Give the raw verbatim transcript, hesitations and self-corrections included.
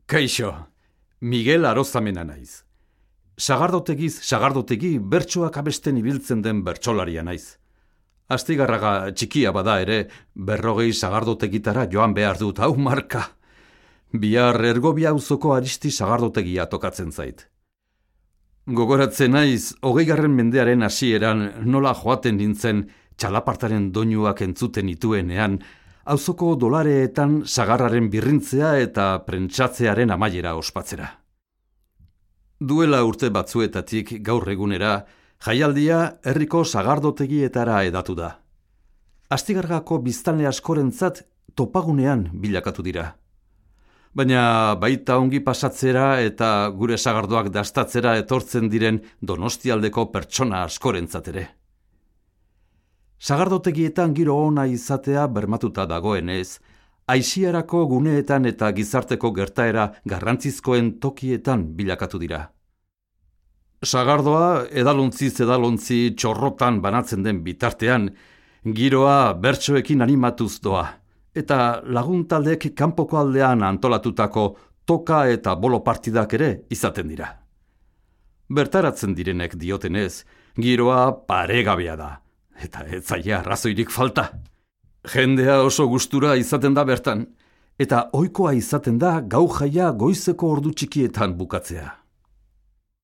Kaixo, Miguel Arozamena naiz. Sagardotegiz sagardotegi bertsoak abesten ibiltzen den bertsolaria naiz. Astigarraga txikia bada ere, berrogei sagardotegitara joan behar dut, hau marka. Bihar Ergobia auzoko Aristi sagardotegia tokatzen zait. Gogoratzen naiz, hogeigarren mendearen hasieran nola joaten nintzen txalapartaren doinuak entzuten ituenean, auzoko dolareetan sagarraren birrintzea eta prentsatzearen amaiera ospatzera. Duela urte batzuetatik gaur egunera, jaialdia herriko sagardotegietara edatu da. Astigarragako biztanle askorentzat topagunean bilakatu dira. Baina baita ongi pasatzera eta gure sagardoak dastatzera etortzen diren Donostialdeko pertsona askorentzat ere. Sagardotegietan giro ona izatea bermatuta dagoenez, aisiarako guneetan eta gizarteko gertaera garrantzizkoen tokietan bilakatu dira. Sagardoa edalontziz edalontzi txorrotan banatzen den bitartean, giroa bertsoekin animatuz doa, eta laguntaldek kanpoko aldean antolatutako toka eta bolo partidak ere izaten dira. Bertaratzen direnek diotenez, giroa paregabea da, eta ez zaie arrazoirik falta. Jendea oso gustura izaten da bertan, eta ohikoa izaten da gau jaia goizeko ordu txikietan bukatzea.